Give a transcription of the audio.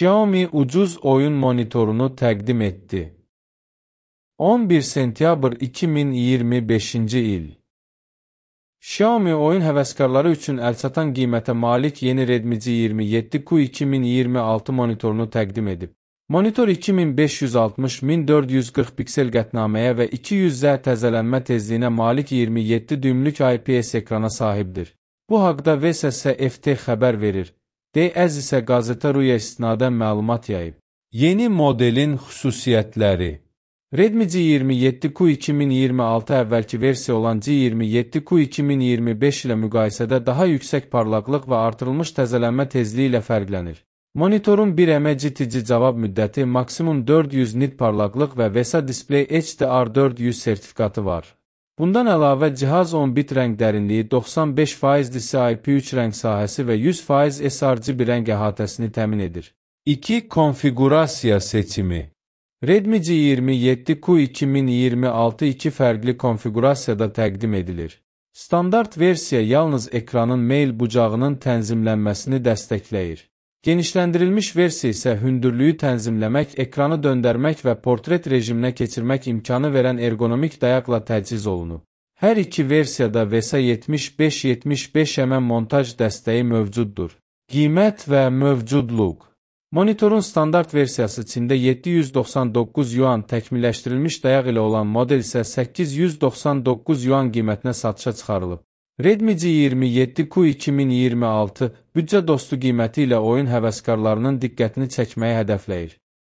Xiaomi ucuz oyun monitorunu təqdim etdi. 11 sentyabr 2025-ci il. Xiaomi oyun həvəskarları üçün əlçatan qiymətə malik yeni Redmi G27Q 2026 monitorunu təqdim edib. Monitor 2560-1440 piksel qətnaməyə və 200Z təzələnmə tezliyinə malik 27 düymlük IPS ekrana sahibdir. Bu haqda VSS-FT xəbər verir. D-Əz isə Qazeta.ru-ya istinadən məlumat yayıb. Yeni modelin xüsusiyyətləri. Redmi G27Q 2026 əvvəlki versiya olan G27Q 2025 ilə müqayisədə daha yüksək parlaqlıq və artırılmış təzələnmə tezliyi ilə fərqlənir. Monitorun 1M GTC cavab müddəti, maksimum 400 nit parlaqlıq və VESA Display HDR 400 sertifikatı var. Bundan əlavə cihaz 10 bit rəng dərinliyi, 95% DCI-P3 rəng sahəsi və 100% sRGB rəng əhatəsini təmin edir. 2. Konfiqurasiya seçimi. Redmi G27Q 2026 iki fərqli konfiqurasiyada təqdim edilir. Standart versiya yalnız ekranın meyl bucağının tənzimlənməsini dəstəkləyir. Genişləndirilmiş versiya isə hündürlüyü tənzimləmək, ekranı döndərmək və portret rejiminə keçirmək imkanı verən ergonomik dayaqla təchiz olunub. Hər iki versiyada VESA 75-75 montaj dəstəyi mövcuddur. Qiymət və mövcudluq. Monitorun standart versiyası Çində 799 yuan, təkmilləşdirilmiş dayaq ilə olan model isə 899 yuan qiymətinə satışa çıxarılıb. Redmi G27Q 2026 büdcə dostu qiyməti ilə oyun həvəskarlarının diqqətini çəkməyi hədəfləyir.